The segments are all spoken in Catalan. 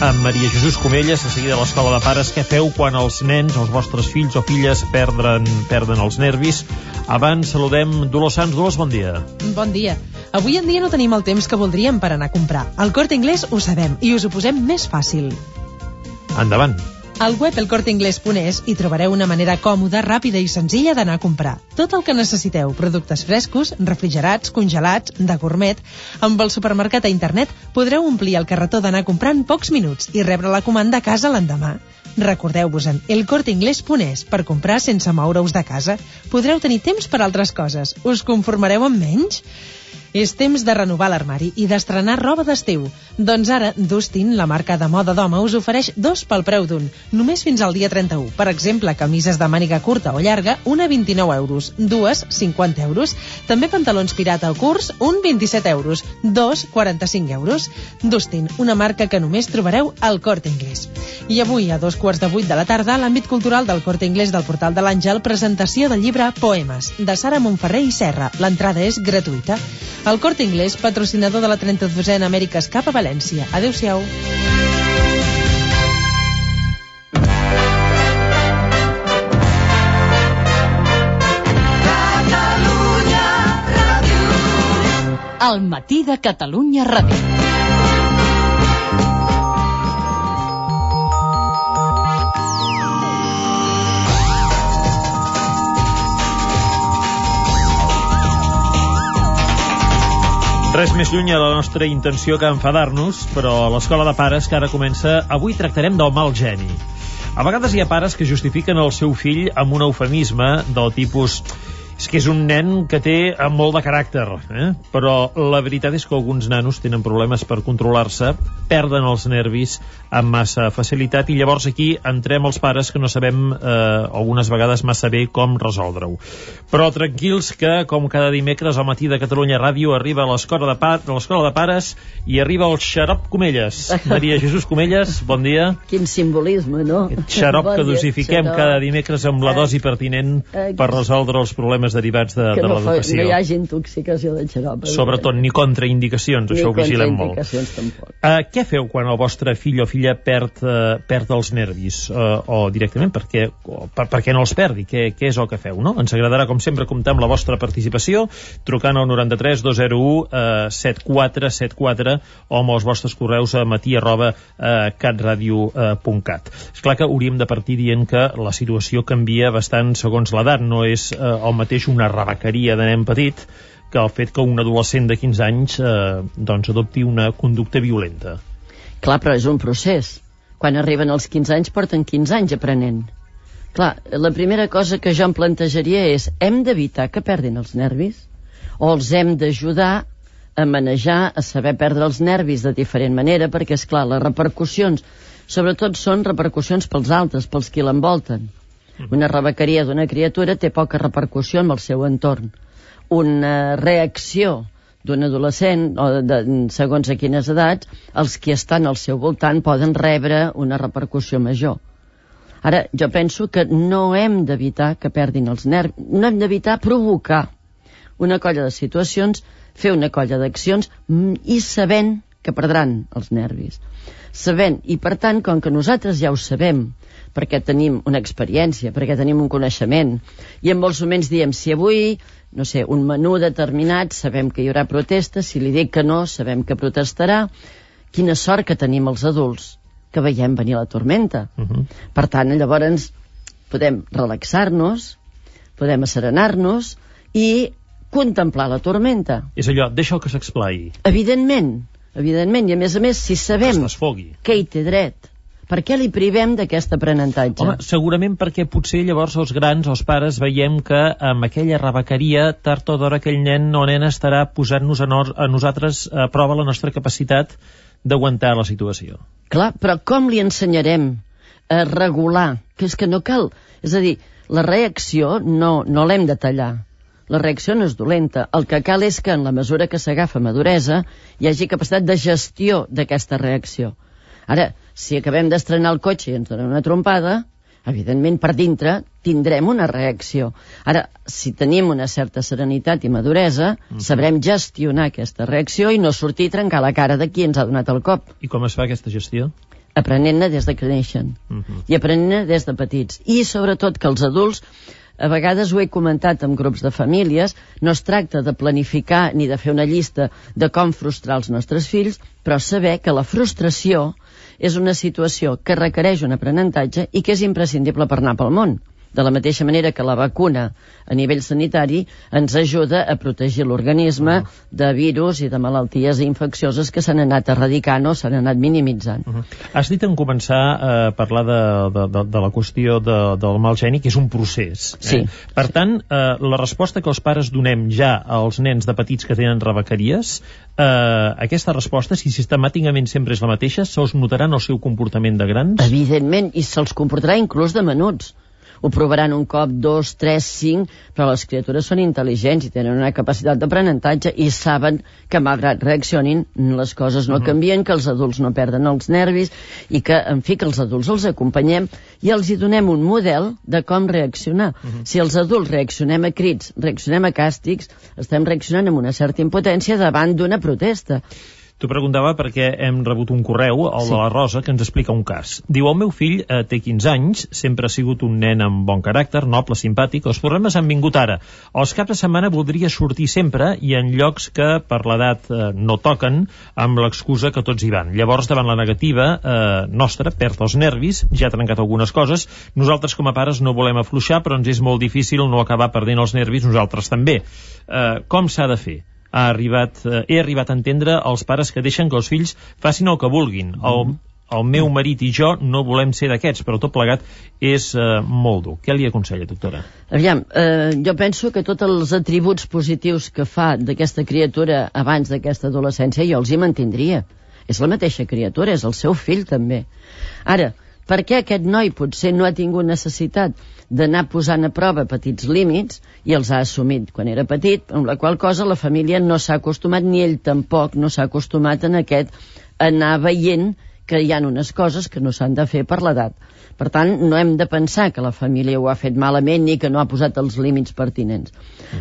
amb Maria Jesús Comelles, de seguida a l'Escola de Pares. Què feu quan els nens, els vostres fills o filles, perden els nervis? Abans saludem Dolors Sans. Dolors, bon dia. Bon dia. Avui en dia no tenim el temps que voldríem per anar a comprar. Al Corte Inglés ho sabem i us ho posem més fàcil. Endavant. Al web elcorteinglés.es hi trobareu una manera còmoda, ràpida i senzilla d'anar a comprar. Tot el que necessiteu, productes frescos, refrigerats, congelats, de gourmet. Amb el supermercat a internet podreu omplir el carretó d'anar a comprar en pocs minuts i rebre la comanda a casa l'endemà. Recordeu-vos en elcorteinglés.es per comprar sense moure-us de casa. Podreu tenir temps per altres coses. Us conformareu amb menys? És temps de renovar l'armari i d'estrenar roba d'estiu. Doncs ara, Dustin, la marca de moda d'home, us ofereix 2 pel preu d'un, només fins al dia 31. Per exemple, camises de màniga curta o llarga, una 29 euros, 2, 50 euros. També pantalons pirata o curts, un 27 euros, 2, 45 euros. Dustin, una marca que només trobareu al Corte Inglés. I avui, a 7:15 de la tarda, a l'àmbit cultural del Corte Inglés del Portal de l'Àngel, presentació del llibre Poemes, de Sara Montferrer i Serra. L'entrada és gratuïta. El Corte Inglés, patrocinador de la 32a Amèriques Cup a València. Adéu-siau. El matí de Catalunya Ràdio. Res més lluny a la nostra intenció que enfadar-nos, però a l'Escola de Pares, que ara comença, avui tractarem del mal geni. A vegades hi ha pares que justifiquen el seu fill amb un eufemisme del tipus: és que és un nen que té molt de caràcter, però la veritat és que alguns nanos tenen problemes per controlar-se, perden els nervis amb massa facilitat, i llavors aquí entrem els pares que no sabem algunes vegades massa bé com resoldre-ho. Però tranquils que, com cada dimecres al matí de Catalunya Ràdio, arriba a l'Escola de Pares i arriba el xarop Comelles. Maria Jesús Comelles, bon dia. Quin simbolisme, no? Aquest xarop que dosifiquem cada dimecres amb la dosi pertinent per resoldre els problemes derivats de l'educació. Que no hi hagi intoxicació de xarop. Sobretot, ni contraindicacions, això ho vigilem molt. Ni contraindicacions, tampoc. Què feu quan el vostre fill o filla perd els nervis? O directament, per què no els perdi? Què és el que feu, no? Ens agradarà, com sempre, comptar amb la vostra participació, trucant al 93 201 7474 o amb els vostres correus a matí@catradio.cat. És clar que hauríem de partir dient que la situació canvia bastant segons l'edat. No és el mateix una rebequeria de nen petit que el fet que un adolescent de 15 anys adopti una conducta violenta. Clar, però és un procés. Quan arriben als 15 anys porten 15 anys aprenent. Clar, la primera cosa que jo em plantejaria és: hem d'evitar que perdin els nervis? O els hem d'ajudar a manejar, a saber perdre els nervis de diferent manera? Perquè, és clar, les repercussions sobretot són repercussions pels altres, pels qui l'envolten. Una rebequeria d'una criatura té poca repercussió en el seu entorn. Una reacció d'un adolescent, o segons a quines edats, els que estan al seu voltant poden rebre una repercussió major. Ara, jo penso que no hem d'evitar que perdin els nervis, no hem d'evitar provocar una colla de situacions, fer una colla d'accions i sabent que perdran els nervis. Sabent, i per tant, com que nosaltres ja ho sabem, perquè tenim una experiència, perquè tenim un coneixement, i en molts moments diem: si avui, no sé, un menú determinat, sabem que hi haurà protesta, si li dic que no, sabem que protestarà. Quina sort que tenim els adults, que veiem venir la tormenta. Per tant, llavors podem relaxar-nos, podem asserenar-nos i contemplar la tormenta. És allò, deixa que s'explai. Evidentment, i a més, si sabem que hi té dret, per què li privem d'aquest aprenentatge? Home, segurament perquè potser llavors els grans, els pares, veiem que amb aquella rebequeria, tard o d'hora aquell nen o nena estarà posant-nos a nosaltres a prova la nostra capacitat d'aguantar la situació. Clar, però com li ensenyarem a regular? Que és que no cal. És a dir, la reacció no l'hem de tallar. La reacció no és dolenta. El que cal és que, en la mesura que s'agafa maduresa, hi hagi capacitat de gestió d'aquesta reacció. Ara, si acabem d'estrenar el cotxe i ens donen una trompada, evidentment per dintre tindrem una reacció. Ara, si tenim una certa serenitat i maduresa, sabrem gestionar aquesta reacció i no sortir a trencar la cara de qui ens ha donat el cop. I com es fa aquesta gestió? aprenent-ne des de que neixen i aprenent-ne des de petits, i sobretot que els adults, a vegades ho he comentat en grups de famílies, no es tracta de planificar ni de fer una llista de com frustrar els nostres fills, però saber que la frustració és una situació que requereix un aprenentatge i que és imprescindible per anar pel món. De la mateixa manera que la vacuna a nivell sanitari ens ajuda a protegir l'organisme de virus i de malalties infeccioses que s'han anat erradicant o s'han anat minimitzant. Has dit en començar a parlar de la qüestió del mal geni, que és un procés. Sí. Per tant, la resposta que els pares donem ja als nens de petits que tenen rebequeries, aquesta resposta, si sistemàticament sempre és la mateixa, se'ls notarà en el seu comportament de grans? Evidentment, i se'ls comportarà inclús de menuts. Ho provaran un cop, 2, 3, 5, però les criatures són intel·ligents i tenen una capacitat d'aprenentatge i saben que malgrat reaccionin, les coses no canvien, que els adults no perden els nervis i que, en fi, que els adults els acompanyem i els hi donem un model de com reaccionar. Si els adults reaccionem a crits, reaccionem a càstigs, estem reaccionant amb una certa impotència davant d'una protesta. T'ho preguntava perquè hem rebut un correu, el de la Rosa, que ens explica un cas. Diu, el meu fill té 15 anys, sempre ha sigut un nen amb bon caràcter, noble, simpàtic, els problemes han vingut ara. Els caps de setmana voldria sortir sempre i en llocs que per l'edat no toquen, amb l'excusa que tots hi van. Llavors, davant la negativa nostra, perd els nervis, ja ha trencat algunes coses, nosaltres com a pares no volem afluixar, però ens és molt difícil no acabar perdent els nervis, nosaltres també. Com s'ha de fer? He arribat a entendre els pares que deixen que els fills facin el que vulguin. El meu marit i jo no volem ser d'aquests, però tot plegat és molt dur. Què li aconsella, doctora? Aviam, jo penso que tots els atributs positius que fa d'aquesta criatura abans d'aquesta adolescència jo els hi mantindria. És la mateixa criatura, és el seu fill també. Ara, per què aquest noi potser no ha tingut necessitat d'anar posant a prova petits límits i els ha assumit quan era petit, amb la qual cosa la família no s'ha acostumat, ni ell tampoc no s'ha acostumat en aquest anar veient que hi ha unes coses que no s'han de fer per l'edat. Per tant, no hem de pensar que la família ho ha fet malament ni que no ha posat els límits pertinents.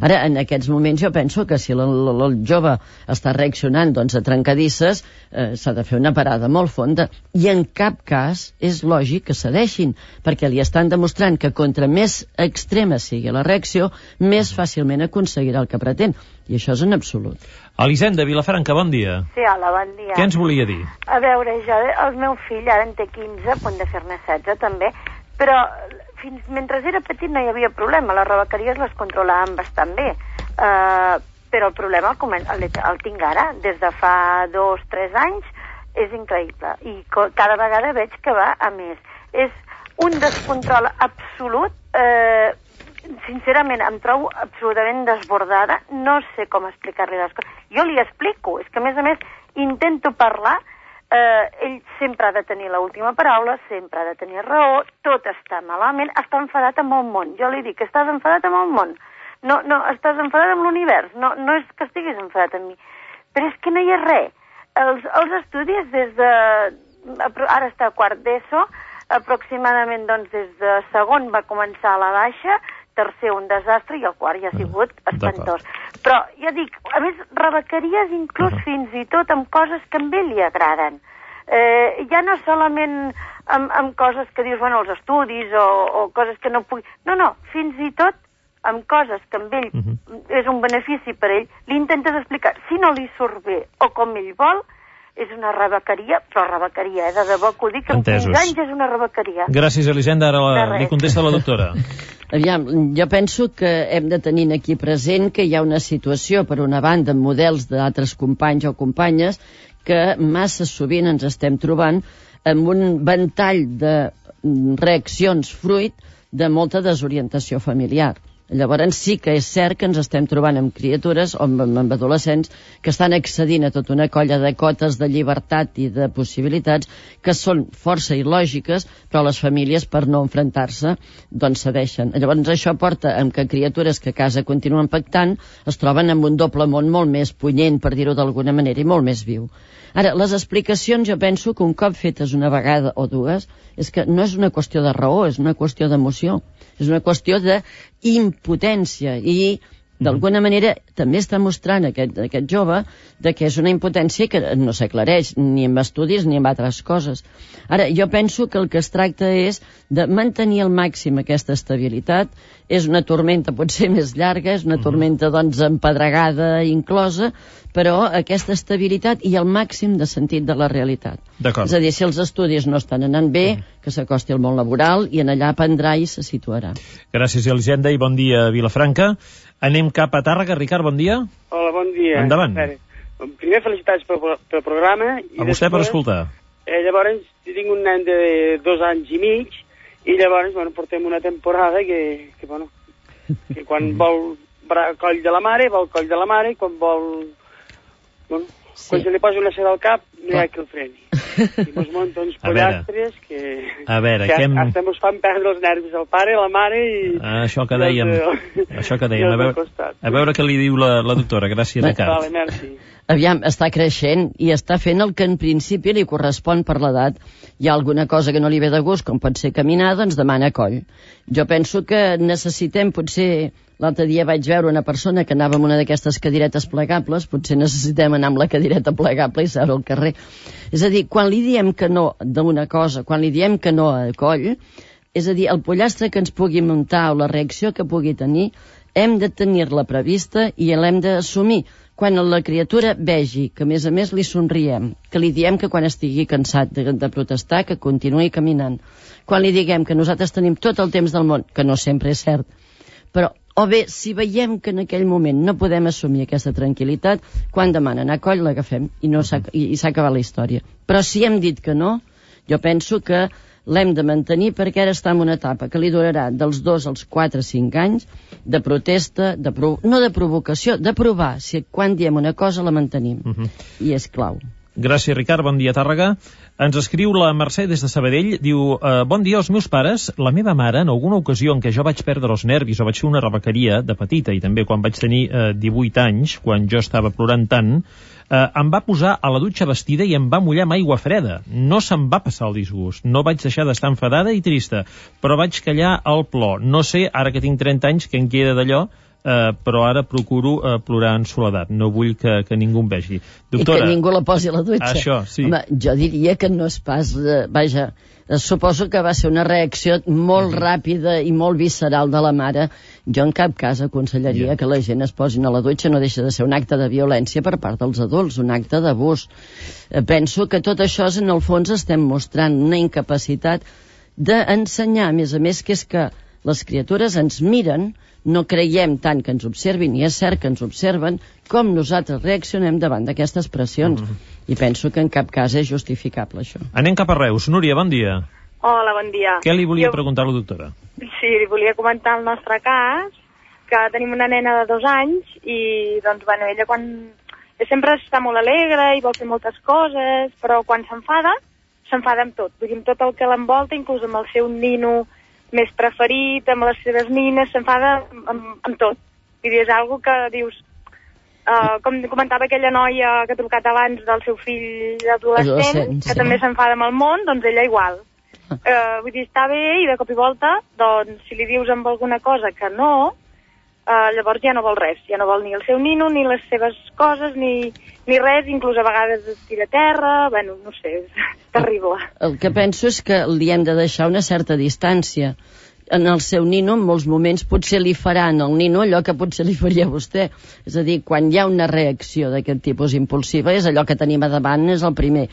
Ara, en aquests moments jo penso que si el jove està reaccionant doncs, a trencadisses, s'ha de fer una parada molt fonda. I en cap cas és lògic que cedeixin, perquè li estan demostrant que contra més extrema sigui la reacció, més fàcilment aconseguirà el que pretén. I això és en absolut. Elisenda, Vilafranca, bon dia. Sí, hola, bon dia. Què ens volia dir? A veure, el meu fill ara en té 15, a punt de fer-ne 16 també, però mentre era petit no hi havia problema, les rebequeries les controlàvem bastant bé, però el problema el tinc ara, des de fa 2-3 anys, és increïble, i cada vegada veig que va a més. És un descontrol absolut, sincerament em trobo absolutament desbordada, no sé com explicar-li les coses. Jo li explico, és que a més intento parlar, ell sempre ha de tenir l'última paraula, sempre ha de tenir raó, tot està malament, està enfadat amb el món. Jo li dic que estàs enfadat amb el món, no estàs enfadat amb l'univers, no és que estiguis enfadat amb mi, però és que no hi ha res. Els estudis ara està a quart d'ESO, aproximadament doncs des de segon va començar a la baixa, tercer un desastre i el quart ja ha sigut espantós. Però, ja dic, a més, rebequeries inclús fins i tot amb coses que a ell li agraden. Ja no solament amb coses que dius, bueno, els estudis o coses que no pugui... No, fins i tot amb coses que amb ell és un benefici per ell, li intentes explicar. Si no li surt bé o com ell vol, és una rebequeria, però rebequeria, de debò que ho dic, amb 15 anys és una rebequeria. Gràcies, Elisenda. Ara li contesta la doctora. Aviam, jo penso que hem de tenir aquí present que hi ha una situació, per una banda, amb models d'altres companys o companyes, que massa sovint ens estem trobant amb un ventall de reaccions fruit de molta desorientació familiar. Llavors sí que és cert que ens estem trobant amb criatures o amb adolescents que estan accedint a tota una colla de cotes de llibertat i de possibilitats que són força il·lògiques, però les famílies, per no enfrontar-se, doncs cedeixen. Llavors això porta amb que criatures que a casa continuen pactant es troben amb un doble món molt més punyent, per dir-ho d'alguna manera, i molt més viu. Ara, les explicacions jo penso que un cop fetes una vegada o dues és que no és una qüestió de raó, és una qüestió d'emoció, és una qüestió d'impotència i D'alguna manera també està mostrant aquest jove que és una impotència que no s'aclareix ni amb estudis ni amb altres coses. Ara, jo penso que el que es tracta és de mantenir al màxim aquesta estabilitat. És una tormenta potser més llarga, és una tormenta doncs empedregada inclosa, però aquesta estabilitat i el màxim de sentit de la realitat. És a dir, si els estudis no estan anant bé, que s'acosti al món laboral i en allà aprendrà i se situarà. Gràcies, Elisenda, i bon dia a Vilafranca. Anem cap a Tàrrega. Ricard, bon dia. Hola, bon dia. Endavant. Primer, felicitats pel programa. A vostè per escoltar. Llavors, tinc un nen de 2 anys i mig, i llavors, portem una temporada que quan vol coll de la mare, vol coll de la mare, i quan vol... quan se li posa una seda al cap, no hi ha qui el freni. I mos munta uns pollastres que hasta mos fan perdre els nervis al pare, la mare i... Això que dèiem. A veure què li diu la doctora. Gràcies, Ricard. Vale, merci. Aviam, està creixent i està fent el que en principi li correspon per l'edat. Hi ha alguna cosa que no li ve de gust, com pot ser caminar, doncs demana coll. Jo penso que necessitem, potser l'altre dia vaig veure una persona que anava amb una d'aquestes cadiretes plegables, potser necessitem anar amb la cadireta plegable i seure al carrer. És a dir, quan li diem que no d'una cosa, quan li diem que no a coll, és a dir, el pollastre que ens pugui muntar o la reacció que pugui tenir, hem de tenir-la prevista i l'hem d'assumir. Quan la criatura vegi que, a més li somriem, que li diem que quan estigui cansat de protestar, que continuï caminant. Quan li diguem que nosaltres tenim tot el temps del món, que no sempre és cert, però, o bé, si veiem que en aquell moment no podem assumir aquesta tranquil·litat, quan demanen a coll l'agafem i s'ha acabat la història. Però si hem dit que no, jo penso que l'hem de mantenir perquè ara està en una etapa que li durarà dels 2 als 4 o 5 anys de protesta, no de provocació, de provar si quan diem una cosa la mantenim. I és clau. Gràcies, Ricard. Bon dia, Tàrrega. Ens escriu la Mercè des de Sabadell. Diu, bon dia als meus pares. La meva mare, en alguna ocasió en què jo vaig perdre els nervis o vaig fer una rebequeria de petita, i també quan vaig tenir 18 anys, quan jo estava plorant tant, em va posar a la dutxa vestida i em va mullar amb aigua freda. No se'm va passar el disgust. No vaig deixar d'estar enfadada i trista, però vaig callar el plor. No sé, ara que tinc 30 anys, què en queda d'allò, però ara procuro plorar en soledat. No vull que ningú em vegi. Doctora, i que ningú la posi a la dutxa. Això, sí. Home, jo diria que no és pas... Vaja, suposo que va ser una reacció molt ràpida i molt visceral de la mare. Jo en cap cas aconsellaria que la gent es posin a la dutxa. No deixa de ser un acte de violència per part dels adults, un acte d'abús. Penso que tot això en el fons estem mostrant una incapacitat d'ensenyar, a més, que és que les criatures ens miren, no creiem tant que ens observin, i és cert que ens observen, com nosaltres reaccionem davant d'aquestes pressions. I penso que en cap cas és justificable, això. Anem cap a Reus. Núria, bon dia. Hola, bon dia. Què li volia preguntar a la doctora? Sí, li volia comentar el nostre cas, que tenim una nena de 2 anys, i, doncs, bueno, ella sempre està molt alegre i vol fer moltes coses, però quan s'enfada amb tot. Vull dir, amb tot el que l'envolta, inclús amb el seu nino més preferit, amb les seves nines, s'enfada amb tot. Vull dir, és algo que dius... com comentava aquella noia que ha trucat abans del seu fill adolescent, que també s'enfada amb el món, doncs ella igual. Vull dir, està bé i de cop i volta, doncs, si li dius amb alguna cosa que no, llavors ja no vol res. Ja no vol ni el seu nino, ni les seves coses, ni res, inclús a vegades es tira a terra, bueno, no sé, és terrible. El que penso és que li hem de deixar una certa distància. En el seu nino, en molts moments, potser li faran al nino allò que potser li faria a vostè. És a dir, quan hi ha una reacció d'aquest tipus impulsiva, és allò que tenim a davant, és el primer.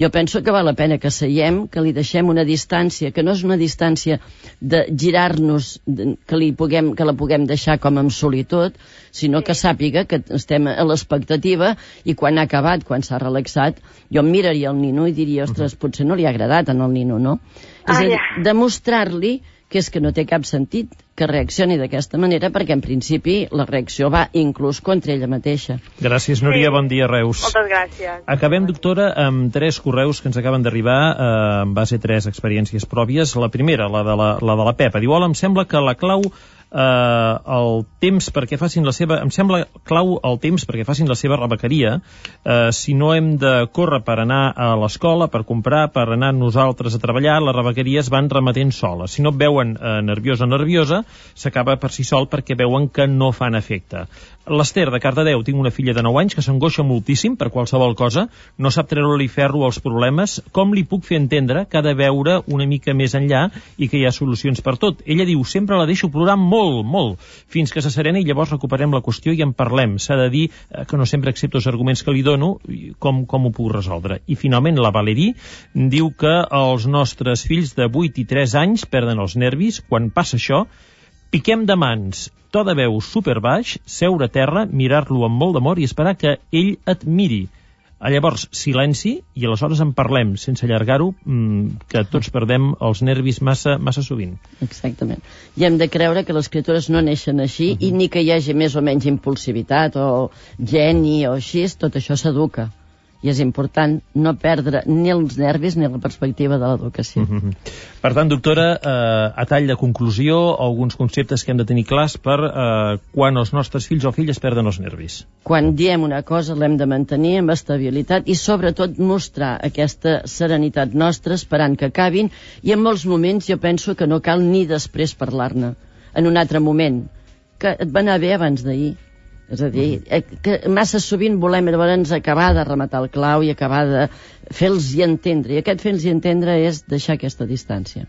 Jo penso que val la pena que seiem, que li deixem una distància, que no és una distància de girar-nos, que la puguem deixar com en solitud, sinó que sàpiga que estem a l'expectativa i quan ha acabat, quan s'ha relaxat, jo em miraria el nino i diria, ostres, potser no li ha agradat al nino, no? És a dir, demostrar-li que és que no té cap sentit que reaccioni d'aquesta manera, perquè en principi la reacció va inclús contra ella mateixa. Gràcies, Núria, bon dia, Reus. Moltes gràcies. Acabem, doctora, amb 3 correus que ens acaben d'arribar en base a 3 experiències pròpies. La primera, la de la Pepa. Diu, hola, em sembla que la clau el temps perquè facin la seva... Em sembla clau el temps perquè facin la seva rebequeria. Si no hem de córrer per anar a l'escola, per comprar, per anar nosaltres a treballar, les rebequeries van remetent soles. Si no et veuen nerviosa, s'acaba per si sol perquè veuen que no fan efecte. L'Ester, de Cardedeu, tinc una filla de 9 anys que s'angoixa moltíssim per qualsevol cosa, no sap treure-li ferro als problemes. Com li puc fer entendre que ha de veure una mica més enllà i que hi ha solucions per tot? Ella diu, sempre la deixo plorar molt, fins que se serena i llavors recuperem la qüestió i en parlem. S'ha de dir que no sempre accepto els arguments que li dono, com ho puc resoldre. I finalment la Valerí diu que els nostres fills de 8 i 3 anys perden els nervis. Quan passa això, piquem de mans, to de veu superbaix, seure a terra, mirar-lo amb molt d'amor i esperar que ell et miri. Llavors, silenci, i aleshores en parlem, sense allargar-ho, que tots perdem els nervis massa sovint. Exactament. I hem de creure que les criatures no neixen així, i ni que hi hagi més o menys impulsivitat, o geni, o així, tot això s'educa. I és important no perdre ni els nervis ni la perspectiva de l'educació. Per tant, doctora, a tall de conclusió, alguns conceptes que hem de tenir clars per quan els nostres fills o filles perden els nervis. Quan diem una cosa l'hem de mantenir amb estabilitat i sobretot mostrar aquesta serenitat nostra esperant que acabin, i en molts moments jo penso que no cal ni després parlar-ne. En un altre moment, que et va anar bé abans d'ahir. És a dir, que massa sovint volem llavors acabar de rematar el clau i acabar de fer-los entendre. I aquest fer-los entendre és deixar aquesta distància.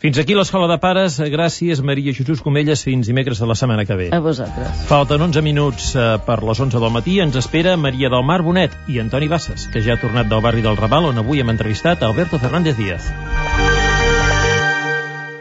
Fins aquí l'Escola de Pares. Gràcies, Maria Jesús Comelles. Fins dimecres de la setmana que ve. A vosaltres. Falten 11 minuts per les 11 del matí. Ens espera Maria del Mar Bonet i Antoni Bassas, que ja ha tornat del barri del Raval, on avui hem entrevistat Alberto Fernández Díaz.